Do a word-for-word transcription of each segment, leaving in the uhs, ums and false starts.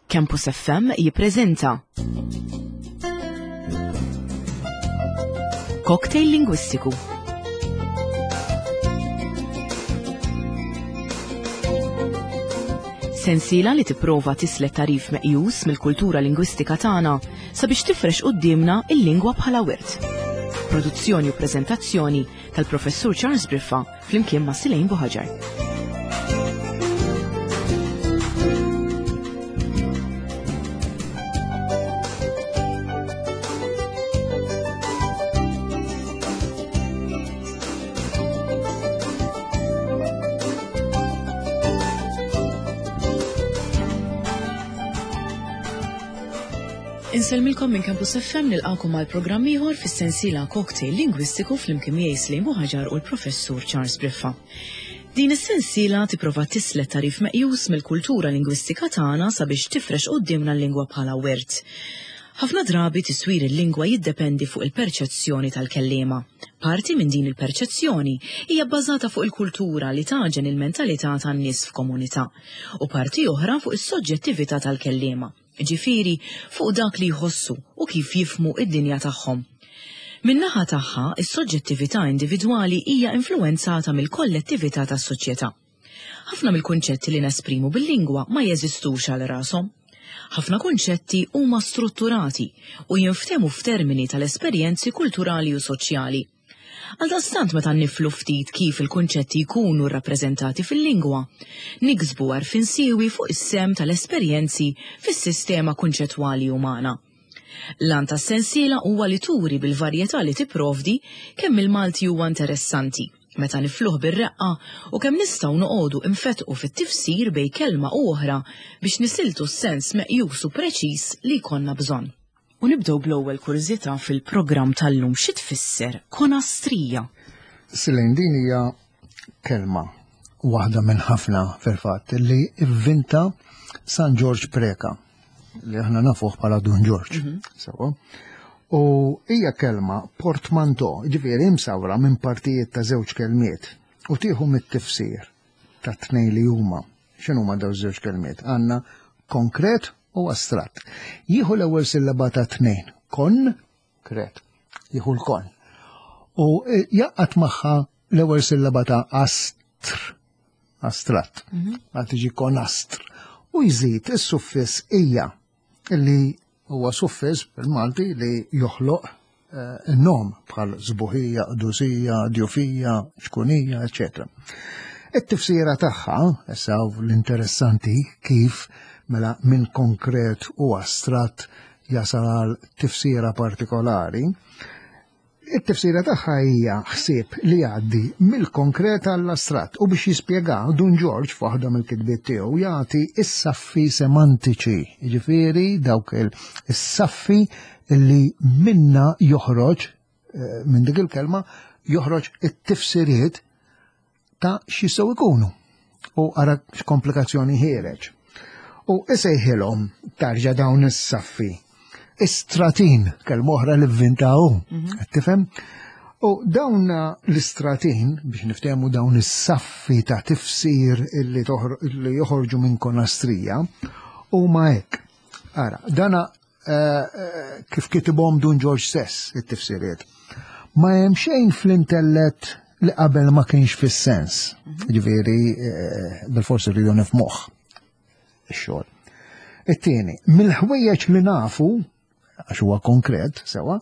Campus F M jippreżenta Cocktail Lingwistiku. Sensiela li tipprova tislet tarif meqjus mill-kultura lingwistika tagħna sabiex tifrex quddiemna il-lingwa bħala wirt. Produzzjoni u preżentazzjoni tal-Professur Charles Briffa flimkien ma' Silejn Buħaġar. Insellmilkom minn Campus F M, nilqakom għal programm ieħor fis-sensiela Cocktail Lingwistiku flimkien miegħi Silejn Buħaġar u l-Professur Charles Briffa. Din is-sensiela tipprova tislet tarif meqjus mill-kultura lingwistika tagħna sabiex tifrex quddiemna l-lingwa bħala wirt. Ħafna drabi tiswir il-lingwa jiddependi fuq il-perċezzjoni tal-kelliema. Parti minn din il-perċezzjoni hija bbażata fuq il-kultura li taġen il-mentalità tan-nies f'komunità u parti oħra fuq is-soġġettività tal-kelliema, ġifieri fuq dak li jħossu u kif jifhmu id-dinja tagħhom. Min-naħa tagħha, is-soġġettività individwali hija influwenzata mill-kollettività tas-soċjetà. Ħafna mill-kunċetti li nesprimu bil-lingwa ma jeżistux għal rashom. Ħafna kunċetti huma strutturati u jinftehmu f'termini tal-esperjenzi kulturali u soċjali. Għaldaqstant meta niflu ftit kif il-kunċetti jkunu rrappreżentati fil-lingwa, niksbu għarfien siewi fuq is-sem tal-esperjenzi fis-sistema kunċettwali umana. L-għan tas-sensiela huwa li turi bil-varjetà li tipprovdi kemm il-Malti huwa interessanti, meta nifluh bir-reqqa u kemm nistgħu noqogħdu infetqu fit-tifsir bejn kelma u oħra biex nisiltu s-sens meqjus u preċiż li jkollna bżonn. U nibdew bl-ewwel kurżità fil-programm tal-lum, xi tfisser konastrija? Silejn, din hija kelma waħda minn ħafna fil-fatt li ivvinta San Ġorġ Preca, li aħna nafuh bħala Dun Ġorġ. Mhm. Sewa. U hija kelma portmanteau, ġifieri imsawra minn partijiet ta' żewġ kelmiet u tieħu mit-tifsir ta' tnejn li huma. X'inhuma dawn żewġ kelmiet? Għandna konkret u astratt. Jieħu l-ewwel sillaba ta' tnejn, kon, kret, jieħu l-kon. U jaqgħad magħha l-ewwel sillaba ta' astr, astratt, Mhm. għal tiġi konastr. U jżid is-suffiss ija, li huwa suffiss bil-Malti li joħloq, eh, in-nom bħal żbuħija, qdusija, djufija, ċkunija, eċċetera. It-tifsira tagħha, issa l-interessanti kif mela minn konkret u astratt jasal għal tifsira partikolari, it-tifsira tagħha hija ħsieb li jgħaddi mill-konkret għall-astratt, u biex jispjega Dun Ġorġ f'waħda mill-kitbiet tiegħu jagħti is-saffi semantiċi, jiġifieri dawk il-, is-saffi li minna joħroġ, eh, minn dik il-kelma joħroġ it-tifsiriet ta' x'jistgħu jkunu. U ara x'komplikazzjoni ħiereġ. U isejħilhom tarġa' dawn is-saffi istratin, kelma oħra li vvintaw, Mhm. qed tifhem? U dawn l-istratin, biex niftehmu dawn is-saffi ta' tifsir illi toħro-, illi joħorġu minn konastrija, huma hekk. Ara, dana, eh, eh, kif kitibhom Dun Ġorġ stess it-tifsiriet. Ma hemm xejn fl-intellett li qabel ma kienx fis-sens. Mhm. Ġifieri, eh, bil-forsi rridu nifhmuh ix-xogħol. It-tieni, mill-ħwejjeġ li nafu, għax huwa konkret, sewa,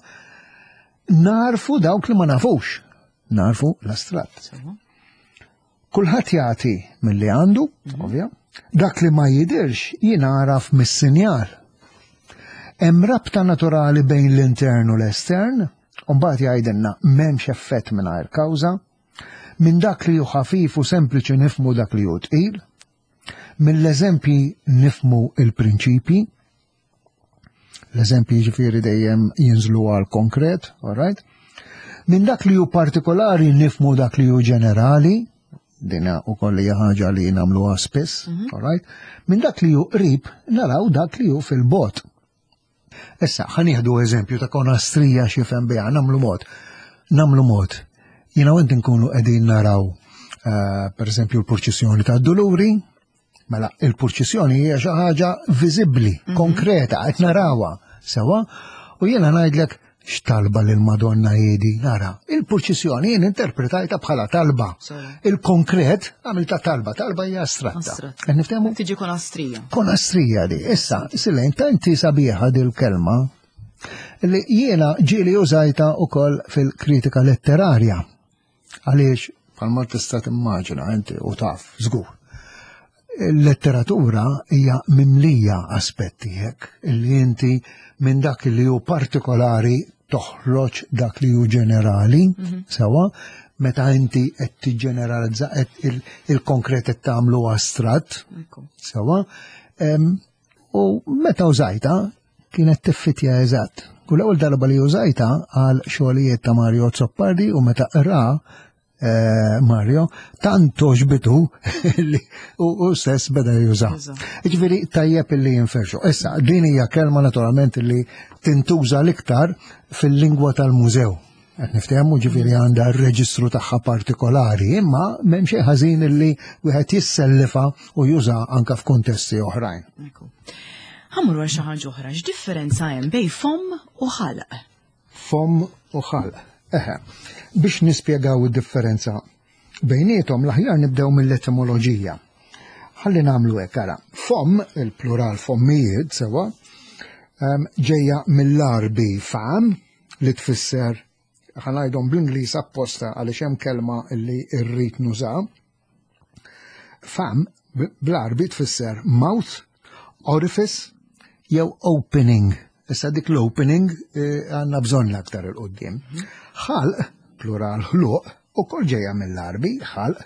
narfu dawk li ma nafux, narfu l-astratt. Sewa. Kulħadd jagħti milli għandu, Mhm. ovvja, dak li ma jidirx jingħaraf mis-sinjal. Hemm rabta naturali bejn l-intern u l-estern, u mbagħad jgħidilna m'hemmx effett mingħajr kawża, minn dak li hu ħafif u sempliċi nifhmu dak li hu tqil, mill-eżempji nifhmu il-prinċipji, l-eżempji ġifieri dejjem jinżlu għal konkret, all right? Minn dak li hu partikolari nifhmu dak li hu ġenerali, dina u koll hija ħaġa li nagħmluha spiss, Mhm. all right? Minn dak li hu qrib naraw dak li hu fil-bogħod. Issa, ħa nieħdu eżempju ta' konastrija x'jifhem biha, nagħmlu mod. Nagħmlu mod. Jiena u inti nkunu qegħdin naraw, eh, per eżempju, l-purċissjoni tad-Duluri, Mela, il-purċissjoni hija xi ħaġa viżibbli, mhm. konkreta, qed narawha sewwa, u jiena ngħidlek x'talba lil Madonna jiedi, nara. Il-purċissjoni jien interpretajta bħala talba. Il-konkret għamilta talba, talba hija astratta. Qed niftehmu? Tiġi konastrija. Konastrija di. Issa, Silejn, tanti sabiħa dil-kelma li jiena ġieli użajta ukoll fil-kritika letterarja. Għaliex, bħalma tista' timmaġina inti u taf, żgur. Il-letteratura hija mimlija aspetti hekk illi inti minn dak li hu partikolari toħroġ dak li hu ġenerali, mhm. sewwa, meta inti qed tiġġeneralizza qed il-konkret qed tagħmlu astratt, sewwa. U meta użajta kienet tiffitja eżatt. U l-ewwel darba li użajta għal xogħlijiet ta' Mario Azzopardi u meta qra eh, Mario, tant għoġbitu li u stess beda juża. Ġifieri tajjeb illi jinferxu. Issa, din hija kelma naturalment li tintuża l-iktar fil-lingwa tal-mużew. Qed niftehmu ġifieri għandha r-reġistru tagħha partikolari, imma m'hemm xejn ħażin illi wieħed jissellifa u juża anka f'kuntesti oħrajn. Ħa mmur għal xi ħaġa oħra, x'differenza hemm bejn fomm u ħalq? Fomm u ħalq. Eħe, biex nispjegaw id-differenza bejniethom l-aħjar nibdew mill-etimoloġija. Ħalli nagħmlu hekk ara. Fomm, il-plural fommijiet sewwa, ġejja mill-Għarbi fam li tfisser ħa ngħidhom bl-Ingliż apposta għaliex hemm kelma li rrid nuża. Fam bl-Għarbi tfisser mouth, orifice jew opening. Issa dik l-opening eh, għandna bżonn l-aktar il-qoddim. Ħalq, plural ħluq, ukoll ġejja mill-Għarbi, ħalq,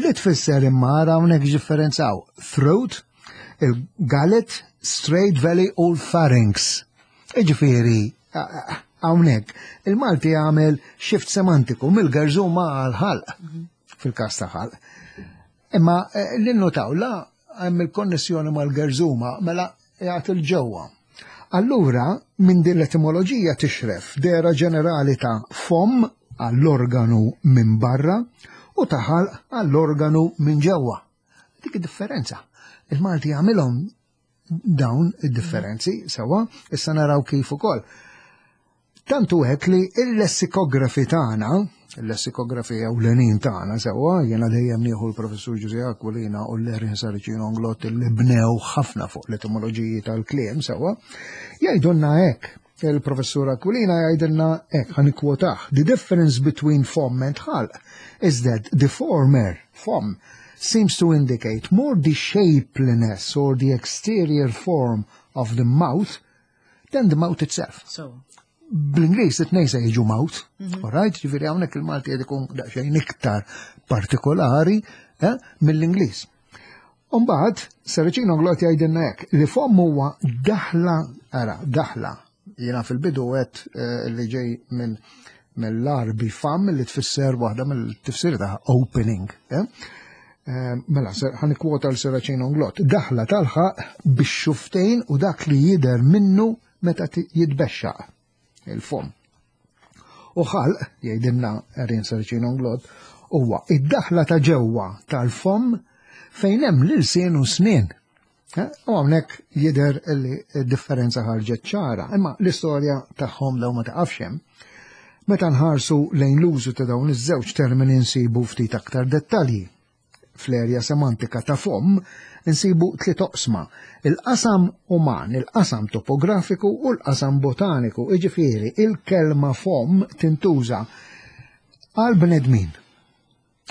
li tfisser imma hawnhekk differenzaw throat, il-gullet, straight valley u l-pharynx. Iġifieri, hawnhekk, il-Malti għamel shift semantiku mill-gerżuma għal-ħalq, fil-kas ta' ħalq. Imma eh, l-innotaw la hemm il-konnessjoni mal-gerżuma mela jgħat il-ġewwa. Allura, minn din l-etimoloġija tixref dehra ġenerali ta' fomm għall-organu minn barra u ta' ħalq għall-organu minn ġewwa. Dik id-differenza. Il-Malti jagħmilhom dawn id-differenzi sewwa, issa naraw kif ukoll. Tantu hekk li il-lessikografi tagħna, il-lessikografi ewlenin tagħna sewwa, jiena dejjem nieħu l-professur Ġużè Aquilina u l-Erin Saracino Englott li bnew ħafna fuq l-etimoloġiji tal-kliem sewwa, jgħidulna hekk. Il-professur Aquilina jgħidilna hekk, ħa nikkwotah. The difference between fomm and ħalq is that the former, fomm, seems to indicate more the shapeliness or the exterior form of the mouth than the mouth itself. So, Bl-Ingliż it-tnejn se jiġu mouth, all right? Ġifieri hawnhekk il-Malti qed ikun daqsxejn iktar partikolari eh, mill-Ingliż. Umbagħad, Saracino Englott jgħidilna hekk li fomm huwa daħla, ara, daħla. Jiena fil-bidu għedt eh, li ġej minn mill-Għarbi fam li tfisser waħda mill-tifsir ta' opening. Eh? Eh, Mela, ħa nikkwota l-Saracino Englott. Daħla tal-ħalq bix-xufftejn u dak li jider minnu meta jitbexxaq il-fom. U ħalq, jgħidilna Erin Saracino Englott, huwa id-daħla ta' ġewwa tal-fom fejn hemm l-ilsien u snien. Eh, u hawnhekk jidher li d-differenza ħarġet ċara, imma l-istorja tagħhom law ma taqafx hemm. Meta nħarsu lejn l-użu ta' dawn iż-żewġ termini nsibu ftit aktar dettalji. Fl-erja semantika ta' fomm insibu tliet oqsma: il-qasam uman, il-qasam topografiku u l-qasam botaniku. Iġifieri, il-kelma fomm tintuża għal bnedmin.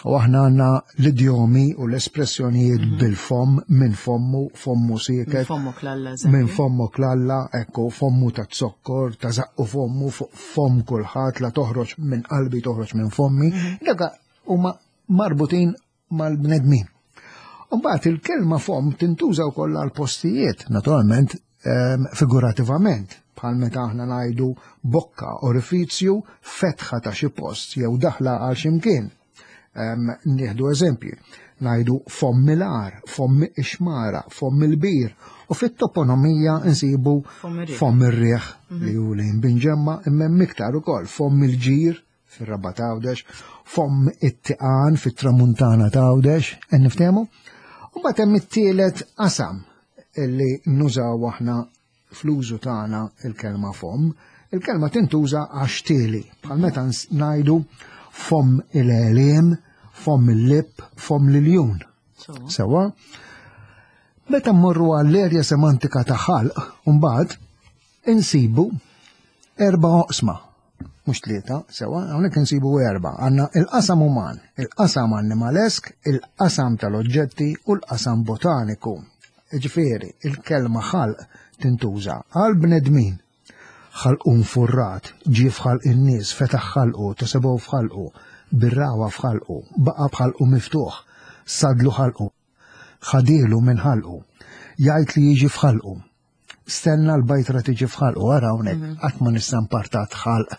U aħna għandna l-idjomi u l-espressjonijiet mhm. bil-fom, minn fommu, fommu sieket. Minn fommu klalla. Minn fommu klalla, ekku, fommu ta' zokkor, ta' zaqqu fommu, fom kulħadd, la toħroġ minn qalbi toħroġ minn fommi. Mhm. Dak huma marbutin mal-bnedmin. Mbagħad il-kelma fom tintuża wkoll għal postijiet, naturalment ehm, figurativament, bħal meta aħna ngħidu bokka, orifizju, fetħa ta' xi post jew daħla għal x'imkien. Ehm, nieħdu eżempji, ngħidu fomm il-għar, fomm ix-xmara, fomm il-bir, u fit-toponomija nsibu fomm ir-riħ mhm. li hu lejn Binġemma imma hemm iktar ukoll fomm il-ġir fir-Rabat Għawdex, fomm it-Tiqan fit-Tramuntana ta' Għawdex, qed niftehmu? U mbagħad hemm it-tielet qasam illi nużaw aħna fl-użu tagħna il-kelma fomm. Il-kelma tintuża għax-xtieli, bħal meta ngħidu fomm il-għeliem, fomm il-lip, fomm l-iljun. Sewa. Meta mmorru għall-erja semantika ta' ħalq, mbagħad insibu erba' oqsma, mhux tlieta, sewa, hawnhekk insibu erba'. Għandna il-qasam uman, il-qasam animalesk, il-qasam tal-oġġetti u l-qasam botaniku. Ġifieri, il-kelma ħalq tintuża għal bnedmin. Ħalqu nfurrat, ġie f'ħalq in-nies, fetaħ ħalqu, tasebgħu f'ħalqu, birrawa f'ħalqu, baqa' b'ħalqu miftuħ, sadlu ħalqu, ħadielu minn ħalqu, jgħid li jiġi f'ħalqu. Stenna l-bajtra tiġi f'ħalqu, ara hawnhekk qatt ma nista' npartat ħalq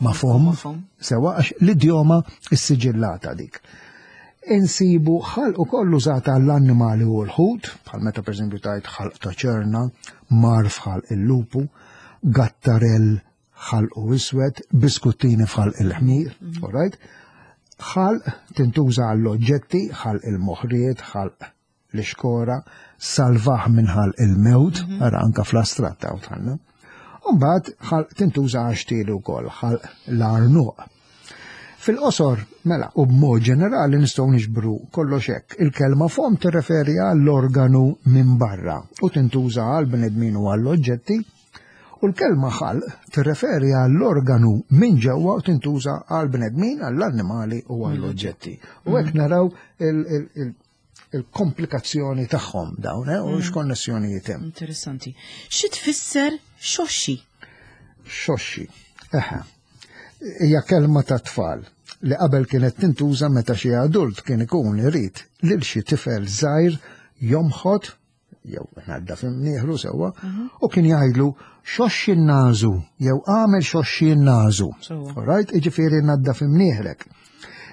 ma' fomm, sewa għax l-idjoma issiġillata dik. Insibu ħalq ukoll użata għall-annimali u l-ħut, bħal meta pereżempju tajt ħalq ta' ċerna, mar f'ħalq il-lupu, gattarell ħalqu iswed, biskuttini f'ħalq il-ħmir, all right? Ħalq tintuża għall-oġġetti, ħalq il-moħriet, ħalq l-ixkora, salvaħ minn ħalq il-mewt, ara anka fl-astratt hawn tħanna. Umbagħad ħalq tintuża għax-xtieli wkoll, ħalq l-arnuq. Fil-qosor, mela, u b'mod ġenerali nistgħu niġbru kollox hekk. Il-kelma fomm tirreferi għall-organu minn barra u tintuża għal bnedmin u għall-oġġetti, u l-kelma ħalq tirreferi għall-organu minn ġewwa u tintuża għal bnedmin, għall-annimali u għall-oġġetti. U hekk naraw il-komplikazzjoni tagħhom dawn, eh, u x'konnessjonijiet hemm. Interessanti. Xi tfisser xoxxi? Xoxxi. Eħe. Hija kelma ta' tfal li qabel kienet tintuża meta xi adult kien ikun irid lil xi tifel żgħir jomħod jew ngħadda f'imnieħru sewwa, u kien jgħidlu xoxxi n-nażu jew għamel xoxxi n-nażu. All right, jiġifieri ngħadda f'imnieħrek.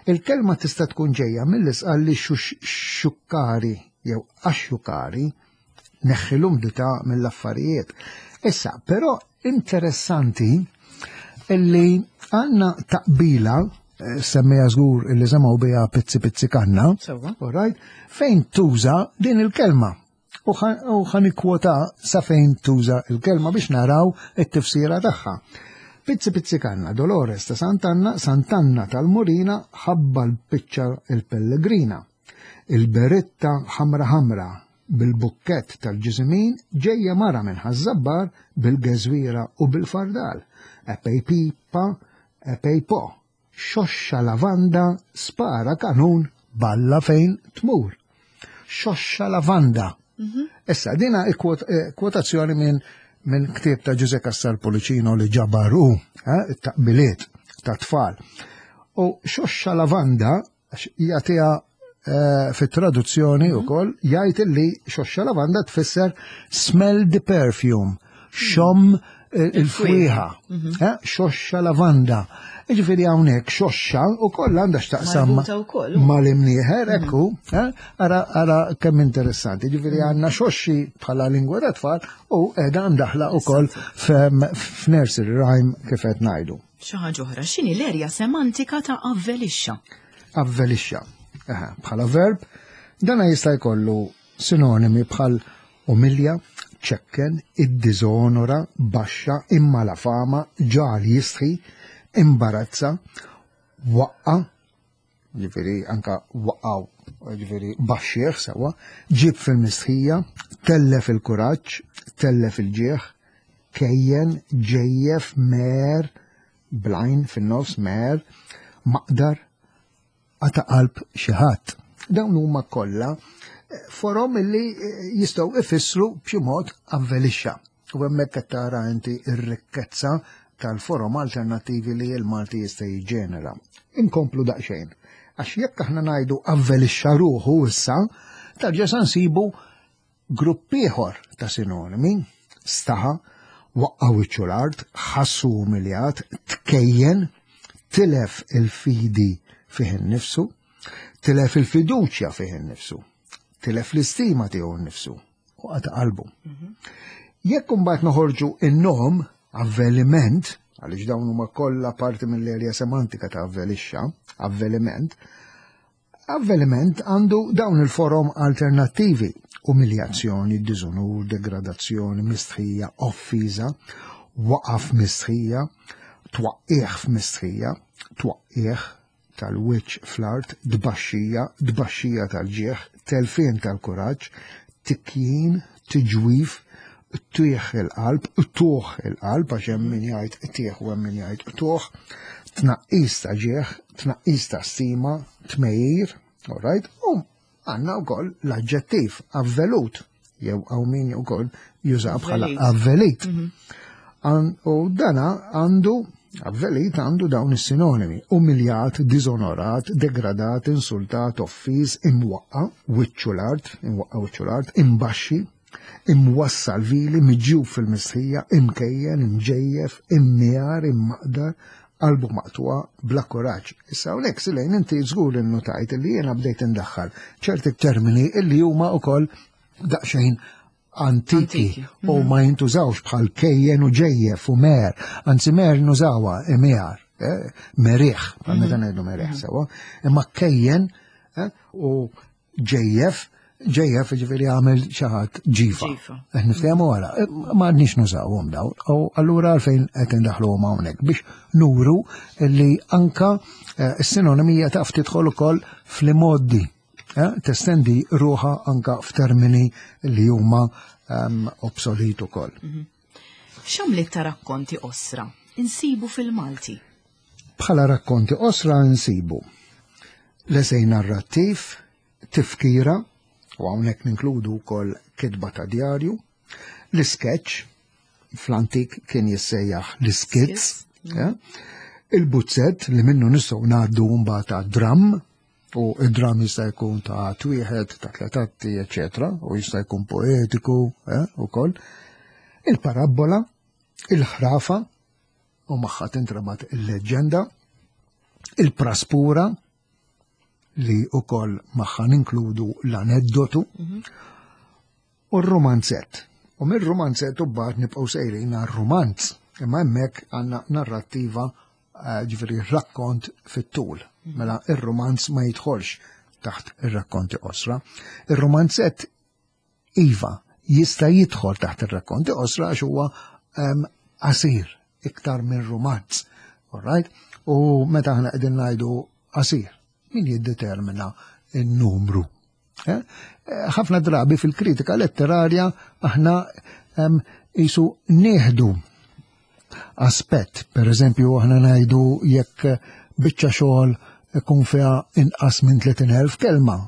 Il-kelma tista' tkun ġejja mill-isqal li xukkari jew axxukari neħħi l-umdità mill-affarijiet. Issa, però interessanti illi għandna taqbila, semmejha żgur illi semgħu biha pizzi pizzi kanna, all right, fejn tuża din il-kelma. U ħa nikkwota sa fejn tuża il-kelma biex naraw it-tifsira tagħha. Pizzi pizzi kanna, Dolores ta' Sant'Anna, Sant'Anna tal-Murina, ħabba l-piċċa il-Pellegrina. Il-beretta ħamra ħamra, bil-bukket tal-ġiżimin, ġejja mara minn Ħaż-Żabbar bil-geżwira u bil-fardal. Epej pipa, epej po, xoxxa lavanda, spara kanun, balla fejn tmur. Xoxxa lavanda. Issa, dina kwotazzjoni minn min ktieb ta' Ġużè Cassar Pullicino li ġabar hu, eh, it-taqbiliet ta' tfal. U xoxxa lavanda, għax jagħtiha eh, fit-traduzzjoni wkoll, jgħid li xoxxa lavanda tfisser smell the perfume, xomm il-fwieħa, eh, xoxxa lavanda. Jiġifieri hawnhekk xoxxa ukoll għandha x'taqsam Marbuta wkoll. mal-imnieħer, ekku, eh, ara, ara kemm interessanti. Jiġifieri għandna xoxxi bħala lingwa ta' tfal u qiegħda ndaħla wkoll f'nursery rhyme kif qed ngħidu. Xi ħaġa oħra, x'inhi l-erja semantika ta' avvelixxa? Avvelixxa. Aha, bħala verb, dana jista' jkollu sinonimi bħal umilja, ċekken, iddizonora, baxxa, imma la fama, ġal jistħi, imbarazza, waqqa, ġifieri anka waqgħu, ġifieri baxxieħ sewa, ġib fil-mistħija, tellef il-kuraġġ, tellef il-ġieħ, kejjen, ġejjef, mer, blajn fin-nofs, mer, maqdar, għata qalb xi ħadd. Dawn huma kollha forom illi jistgħu ifissru b'xi mod avvelixxa. U hemmhekk qed tara inti r-rikkezza tal-forom alternattivi li l-Malti jista' jiġġenera. Inkomplu daqsxejn. Għax jekk aħna ngħidu avvelixxa ruħu issa, tarġa' sa nsibu grupp ieħor ta' sinonimi, staħa, waqqa' wiċċu l-art, ħassu umiljat, tkejjen, tilef il-fidi fih innifsu, tilef il-fiduċja fih innifsu, tilef l-istima tiegħu nnifsu u qata' qalbu. Jekk imbagħad noħorġu in-nom avveliment, għaliex dawn huma kollha parti mill-erja semantika ta' avvelixxa, avveliment, Avveliment għandu dawn il-forom alternattivi: umiljazzjoni, diżonur, degradazzjoni, mistħija, offiża, waqaf mistħija, twaqqigħ f'mistħija, twaqqigħ tal-wiċċ fl-art, tbaxxija, tbaxxija tal-ġieħ, telfien tal-kuraġġ, tikjin, tiġwif, tieħ il-qalb, tuħ il-qalb, għax hemm min jgħid tieħ u hemm min jgħid tuħ, tnaqqis ta' ġieħ, tnaqqis ta' stima, tmejjir, all right? U għandna wkoll l-aġġettiv avvelut, jew hawn min ukoll juża bħala avvelit. U dana għandu, avvelit għandu dawn is-sinonimi: umiljat, diżonorat, degradat, insultat, offiż, imwaqqa, wiċċu l-art, imwaqqa wiċċu l-art, imbaxxi, imwassal vili, miġjub fil-mistħija, imkejjen, imġejjef, immijar, immaqdar, qalbu maqtuwa, bla kuraġġ. Issa hawnhekk, Silejn, inti żgur innotajt li jiena bdejt indaħħal ċerti termini illi huma wkoll daqsxejn antiki u mhm. ma jintużawx, bħal kejjen u ġejjef u mer, anzi mer nużawha imijar, eh, meriħ, bħal meta mhm. ngħidu meriħ mhm. sewa, imma kejjen eh, u ġejjef, ġejjef ġifieri għamel xi ħadd ġifa. Eh, niftehmu wara, ma għadniex nużawhom dawn, u allura għalfejn qed indaħluhom hawnhekk? Biex nuru li anka s-sinonimija taf tidħol ukoll fl-modi, testendi ruħha anka f'termini li huma um, obsolet ukoll. Mhm. X'għamliet ta' rakkonti qosra insibu fil-Malti? Bħala rakkonti qosra insibu l-esej narrattiv, tifkira, u hawnhekk ninkludu wkoll kitba ta' djarju, l-sketch, fl-antik kien jissejjaħ l-skizz, mm. il-buzzett li minnu nistgħu ngħaddu mbagħad ta' dram, u id-dram jista' jkun ta' twieħed, ta' tliet atti, eċetera, u jista' jkun poetiku eh, ukoll. Il-parabbola, il-ħrafa, u magħha tintrabat il-leġġenda, il-praspura, li ukoll magħha ninkludu l-aneddotu, mhm. u r-romanzett. U mir-romanzett u mbagħad nibqgħu sejrin għar-romanz, imma hemmhekk għandna narrattiva, eh, ġifieri rakkont fit-tul. Mhm. Mela ir-romanz ma jidħolx taħt ir-rakkonti qosra. Ir-romanzett iva jista' jidħol taħt ir-rakkonti qosra għax huwa qasir iktar minn romanz. All right? U meta aħna qegħdin ngħidu qasir, min jiddetermina n-numru? Eh? Ħafna drabi fil-kritika letterarja aħna jisu nieħdu aspett, per eżempju aħna ngħidu jekk biċċa xogħol ikun fiha inqas minn tletin elf kelma,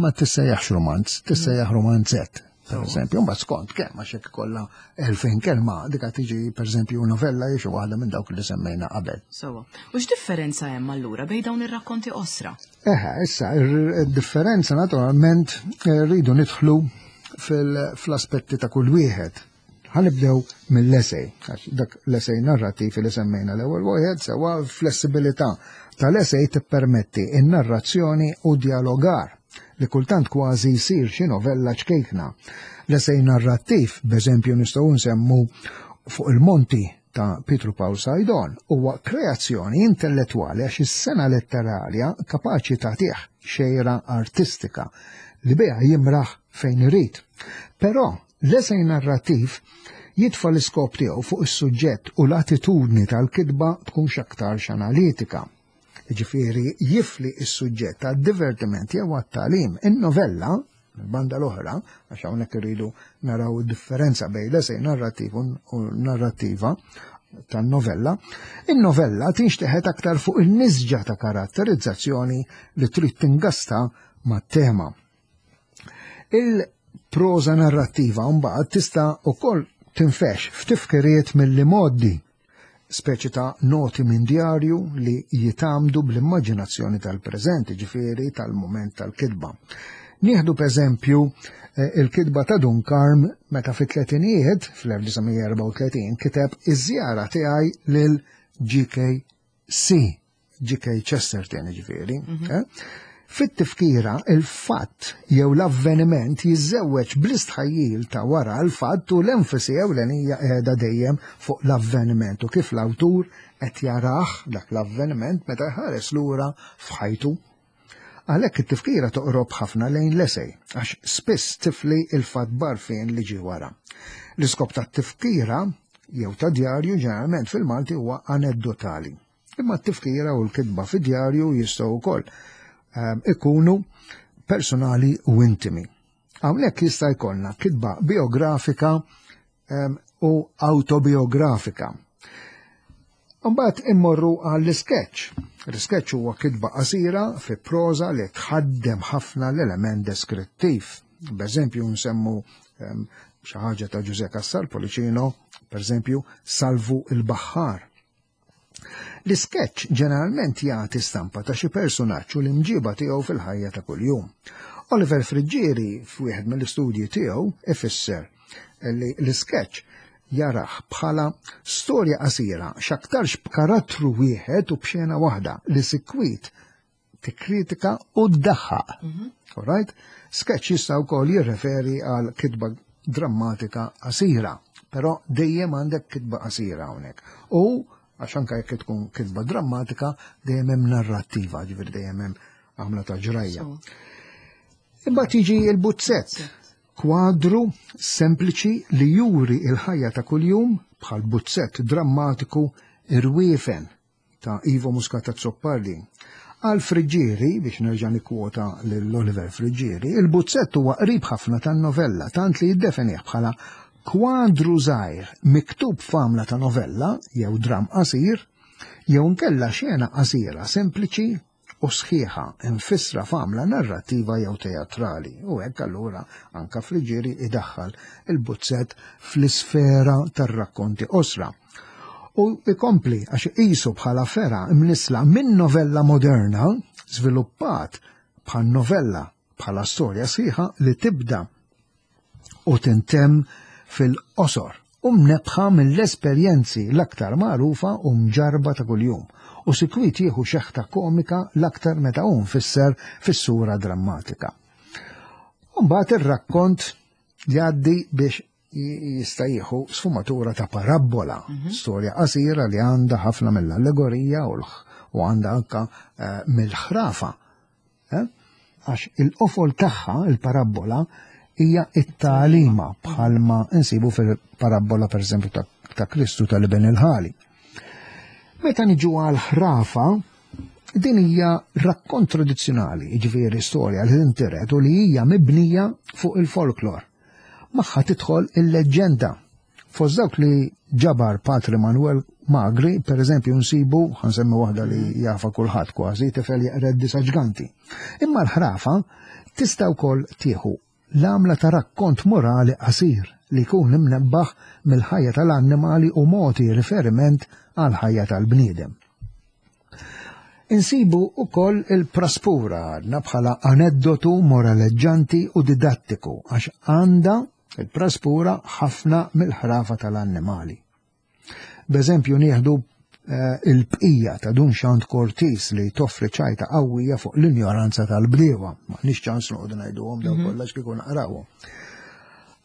ma tissejjaħx romanz, tissejjaħ romanzett. Per eżempju, mbagħad skont kemm, għax jekk ikollha elfejn kelma, dik tiġi per eżempju novella jew xi waħda minn dawk li semmejna qabel. Sewa. U x'differenza hemm allura bejn dawn ir-rakkonti qosra? Eħe, issa, ir-differenza naturalment eh, rridu nidħlu fil-aspetti ta' kull wieħed. Ħa nibdew mill-esej, għax dak l-esej narrativ li semmejna l-ewwel wieħed sewa. Flessibilità tal-esej tippermetti in-narrazzjoni u dialogar li kultant kważi jsir xi novella ċkejkna. L-esej narrattiv, b'eżempju nistgħu nsemmu Fuq il-Monti ta' Pietru Pawl Saydon, huwa kreazzjoni intellettwali għax is-sengħa letterarja kapaċi tagħtih xejra artistika li biha jimraħ fejn irid. Però l-esej narrattiv jitfa l-iskop tiegħu fuq is-suġġett u l-attitudni tal-kitba tkun x'aktarx analitika. Ġifieri jifli is-suġġett għad-divertiment jew għat-tagħlim. In-novella, banda l-oħra, għax hawnhekk irridu naraw differenza bejn l-esej narrattiv u narrattiva tan-novella, in-novella tinxteħet aktar fuq il-nisġa ta' karatterizzazzjoni li trid tingasta mat-tema. Il-proza narrattiva mbagħad tista' ukoll tinfex f'tifkiriet mill-modi, speċi ta' noti minn djarju li jitamdu bl-immaġinazzjoni tal-preżent, ġifieri tal-moment tal-kitba. Nieħdu b'eżempju eh, il-kitba ta' Dun Karm meta fit-tletinijiet, fl-elf disa' mija erbgħa u tletin, kiteb iż-żjara tiegħi lil G K C, G K. Chesterton ġifieri. Mhm. eh? Fit-tifkira il-fatt jew l-avveniment jiżżewweġ bl-istħajjil ta' wara l-fatt u l-enfasi ewlenija qiegħda dejjem fuq l-avveniment u kif l-awtur qed jarah dak l-avveniment meta jħares lura f'ħajtu. Għalhekk it-tifkira toqrob ħafna lejn l-esej, għax spiss tifli il-fatt barfien li ġie wara. L-iskop tat-tifkira jew ta' djarju ġeneralment fil-Malti huwa aneddotali. Imma t-tifkira u l-kitba fi djarju jistgħu wkoll ehm, ikunu personali u intimi. Hawnhekk jista' jkollna kitba biografika ehm, u autobiografika. Mbagħad immorru għall-sketch. L-sketch huwa kitba qasira fi proża li tħaddem ħafna l-element deskrittiv. B'eżempju nsemmu ehm, xi ħaġa ta' Ġuże Cassar Policino, pereżempju Salvu il-Baħħar. L-sketch ġeneralment jagħti stampa ta' xi personaġġ u l-imġiba tiegħu fil-ħajja ta' kuljum. Oliver Friggieri f'wieħed mill-istudji tiegħu ifisser li l-sketch jarah bħala storja qasira x'aktarx b'karattru wieħed u b'xena waħda li sikwit tikkritika u ddaħħaq. All right? Sketch jista' wkoll jirreferi għal kitba drammatika qasira, però dejjem għandek kitba qasira hawnhekk. U għax anke jekk tkun kitba drammatika dejjem hemm narrattiva, ġifieri dejjem hemm għamla ta' ġrajja. Imbagħad jiġi l-buzzett, kwadru sempliċi li juri il-ħajja ta' kuljum bħal buzzett drammatiku Irwiefen ta' Ivo Muscat Azzopardi. Għal Friggieri, biex nerġa' nikkwota lil Oliver Friggieri, il-buzzett huwa qrib ħafna tan-novella, tant li jiddefinih bħala kwadru żgħir miktub f'għamla ta' novella jew dram qasir, jew nkella xena qasira sempliċi u sħiħa infissra f'għamla narrattiva jew teatrali. U hekk allura anka Friggieri idaħħal il-buzzett fl-isfera tar-rakkonti qosra. U ikompli għax iqisu bħala fera imnisla minn novella moderna żviluppat bħal novella bħala storja sħiħa li tibda u tintemm fil-qosor u mnebħa mill-esperjenzi l-aktar magħrufa u mġarba ta' kuljum u sikwit jieħu xeħta komika l-aktar meta hu mfisser fis-sura drammatika. Mbagħad ir-rakkont jgħaddi biex jista' jieħu sfumatura ta' parabbola, storja qasira li għandha ħafna mill-allegorija u l- u għandha anka eh, mill-ħrafa. Eh? Għax il-qofol tagħha, il-parabbola, hija it-tagħlima bħalma insibu fil-parabbola pereżempju ta', ta' Kristu tal-Iben il-Ħali. Meta niġu għal ħrafa, din hija rakkont tradizzjonali, jiġifieri storja li tintiret u li hija mibnija fuq il-folklor. Magħha tidħol il-leġġenda. Fost dawk li ġabar Patri Manuel Magri, per eżempju, nsibu, ħansemmi waħda li jafa kulħadd kważi, tifel jeqred disa' ġganti. Imma l-ħrafa tista' wkoll tieħu l-għamla ta' rakkont morali qasir li jkun imnebbaħ mill-ħajja tal-annimali u mogħti riferiment għal ħajja tal-bniedem. Insibu ukoll il-praspura għadna bħala aneddotu moraleġġanti u didattiku għax għandha il-praspura ħafna mill-ħrafa tal-annimali. B'eżempju nieħdu eh, il-bqija ta' Dun Xand Cortis li toffri ċajta qawwija fuq l-injoranza tal-bdiewa. Ma nix ċans noqogħdu ngħiduhom daw kollha kieku naqrawhom.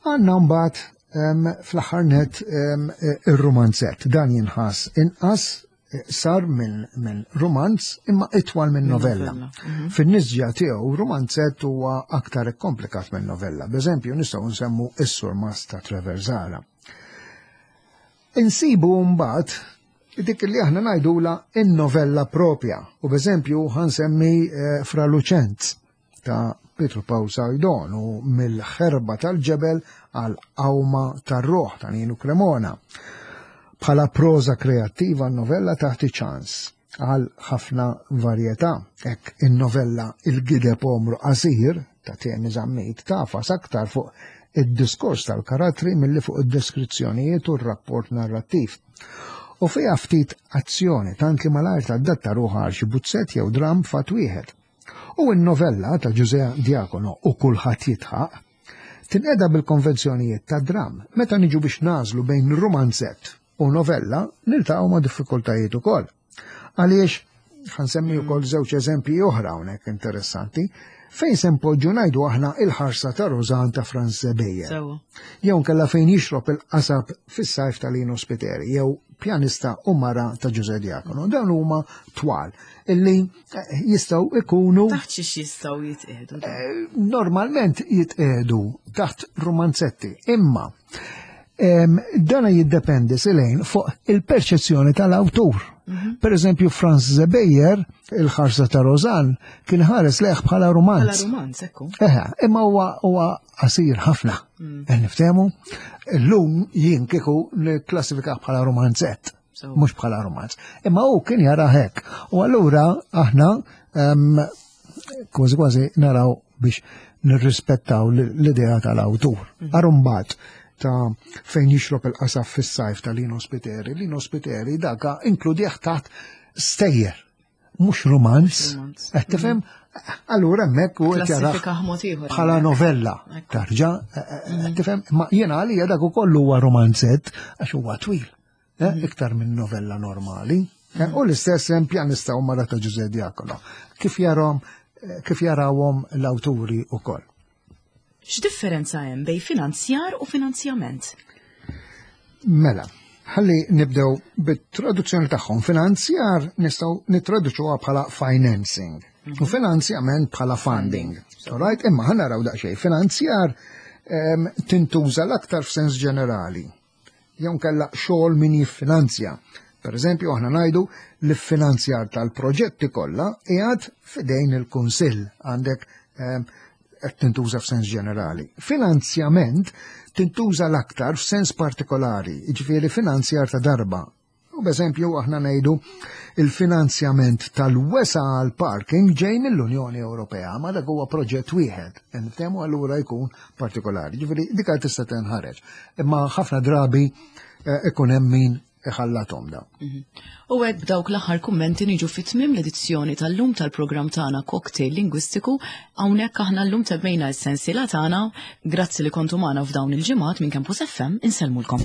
Għandna mbagħad em, fl-aħħar net em, ir-rumanzett. Dan jinħass inqas eh, sar minn min rumanz imma itwal minn novella. novella, mhm. Fin-nisġa tiegħu rumanzett huwa aktar ikkomplikat minn novella. B'eżempju nistgħu nsemmu is-Surmast ta' Trevor Zahra. Insibu mbagħad dik li aħna ngħidula in-novella propja. U b'eżempju ħansemmi eh, Fra Luċenz ta' Pietru Pawl Saydon u mill-ħerba tal-ġebel għal qawma tar-ruħ ta' Ninu Cremona. Bħala proża kreattiva n-novella taħti ċans għal ħafna varjetà. Hekk in-novella Il-Gideb Omru Qasir ta' Temi Zammit tafas aktar fuq id-diskors tal-karattri milli fuq id-deskrizzjonijiet u r-rapport narrattiv. U fiha ftit azzjoni tant li malajr tadatta ruħha għal xi buzzett jew dram fatt wieħed. U n-novella ta' Ġuże Diacono u Kulħadd jidħaq tinqeda bil-konvenzjonijiet ta' dram. Meta niġu biex nażlu bejn rumanzett u novella, niltaqgħu ma' diffikultajiet ukoll. Għaliex ħansemmi wkoll żewġ eżempji oħra hawnhekk interessanti. Fejn se npoġġu, ngħidu aħna, Il-Ħarsa ta' Rosanne ta' Franz Zebejjer? Sewwa. Jew nkella Fejn Jixrob il-Qasab fis-Sajf ta' Lino Spiteri, jew Pjanista u Mara ta' Ġużè Diacono? Dawn huma twal illi eh, jistgħu ikunu Taħt xiex jistgħu jitqiegħdu dawn? Eh, normalment jitqiedu taħt romanzetti, imma em, dana jiddependi silejn fuq il-perċezzjoni tal-awtur. Per eżempju, Franz Zebejjer, Il-Ħarsa ta' Rosanne, kien ħares lejh bħala Bħala romanz. romanz, ekku. Eħe, imma huwa huwa qasir ħafna. Mm. Niftehmu, illum jien kieku nikklassifika bħala romanzett, So. mhux bħala romanz. Imma hu kien jara hekk. U allura aħna em, kważi kważi naraw biex nirrispettaw l- l-idea tal-awtur. Arumbat ta' Fejn Jixrob il-Qasab fis-Sajf ta' Lino Spiteri. Lino Spiteri daka inkludih taħt stejjer, mhux romanz. Romanz. Qed tifhem? Allura hemmhekk u qed jarah Klassifika mod ieħor. bħala novella. Ekku. Tarġa, eh, eh, tifhem? Ma jiena għalija dak ukoll huwa romanzett għax huwa twil, eh, iktar minn novella normali. Eh, U l-istess hemm Pjanista u Mara ta' Ġużè Diacono. Kif jarahom eh, kif jarawhom l-awturi ukoll. X'differenza hemm bejn finanzjar u finanzjament? Mela, ħalli nibdew bit-traduzzjoni tagħhom. Finanzjar nistgħu nittraduċuha bħala financing u finanzjament bħala funding. Alright? Imma ħa naraw daqsxejn. Finanzjar em, tintuża l-aktar f'sens ġenerali. Jew kella xogħol min jiffinanzja. Per eżempju, aħna ngħidu li finanzjar tal-proġetti kollha qiegħed f'idejn il-Kunsill, għandek em, qed tintuża f'sens ġenerali. Finanzjament tintuża l-aktar f'sens partikolari, jiġifieri finanzjar ta' darba. U b'eżempju aħna ngħidu il-finanzjament tal-wesa għal parking ġej mill-Unjoni Ewropea, ma dak huwa proġett wieħed, niftehmu, allura jkun partikolari. Ġifieri dik tista' tinħareġ. Imma ħafna drabi eh, ikun hemm min iħallathom da. U hekk b'dawk l-aħħar kummenti niġu fit-tmiem l-edizzjoni tal-lum tal-programm tagħna Cocktail Lingwistiku. Hawnhekk aħna llum temmejna s-sensiela tagħna. Grazzi li kontu magħna f'dawn il-ġimgħat minn Campus F M, insellmulkom.